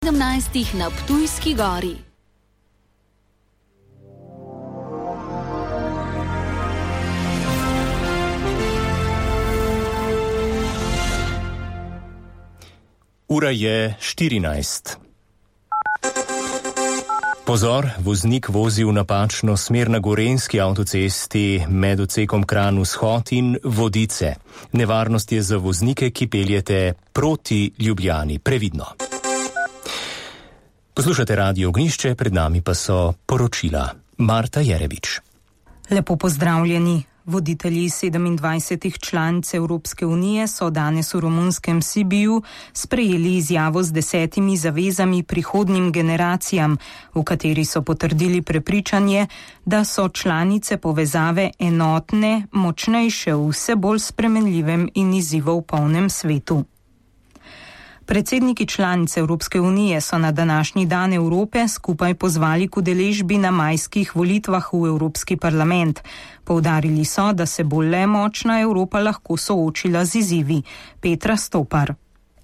17 na Ptujski gori. Ura je 14. Pozor, voznik vozi v napačno smer na Gorenjski avtocesti med odsekom Kranj-Vzhod in Vodice. Nevarnost je za voznike, ki peljete proti Ljubljani. Previdno. Poslušate Radio Ognjišče, pred nami pa so poročila. Marta Jerevič. Lepo pozdravljeni. Voditelji 27 članic Evropske unije so danes v romunskem Sibiu sprejeli izjavo z 10 zavezami prihodnjim generacijam, v kateri so potrdili prepričanje, da so članice povezave enotne, močnejše v vse bolj spremenljivem in izzivov polnem svetu. Predsedniki članic Evropske unije so na današnji dan Evrope skupaj pozvali k udeležbi na majskih volitvah v Evropski parlament. Poudarili so, da se bo le močna Evropa lahko soočila z izzivi. Petra Stopar.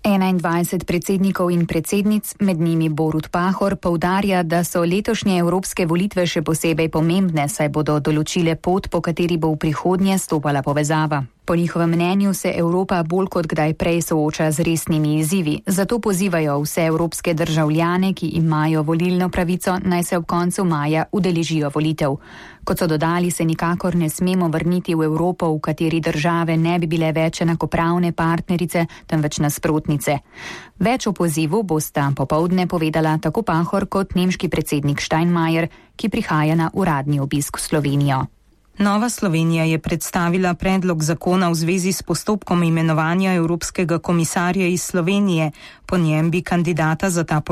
21 predsednikov in predsednic, med njimi Borut Pahor, poudarja, da so letošnje evropske volitve še posebej pomembne, saj bodo določile pot, po kateri bo v prihodnje stopala povezava. Po njihovem mnenju se Evropa bolj kot kdaj prej sooča z resnimi izzivi, zato pozivajo vse evropske državljane, ki imajo volilno pravico, naj se ob koncu maja udeležijo volitev. Kot so dodali, se nikakor ne smemo vrniti v Evropo, v kateri države ne bi bile več enakopravne partnerice, temveč nasprotnice. Več o pozivu bosta popoldne povedala tako Pahor kot nemški predsednik Steinmeier, ki prihaja na uradni obisk v Slovenijo. Nova Slovenija je predstavila predlog zakona v zvezi s postopkom imenovanja Evropskega komisarja iz Slovenije. Po njem bi kandidata za ta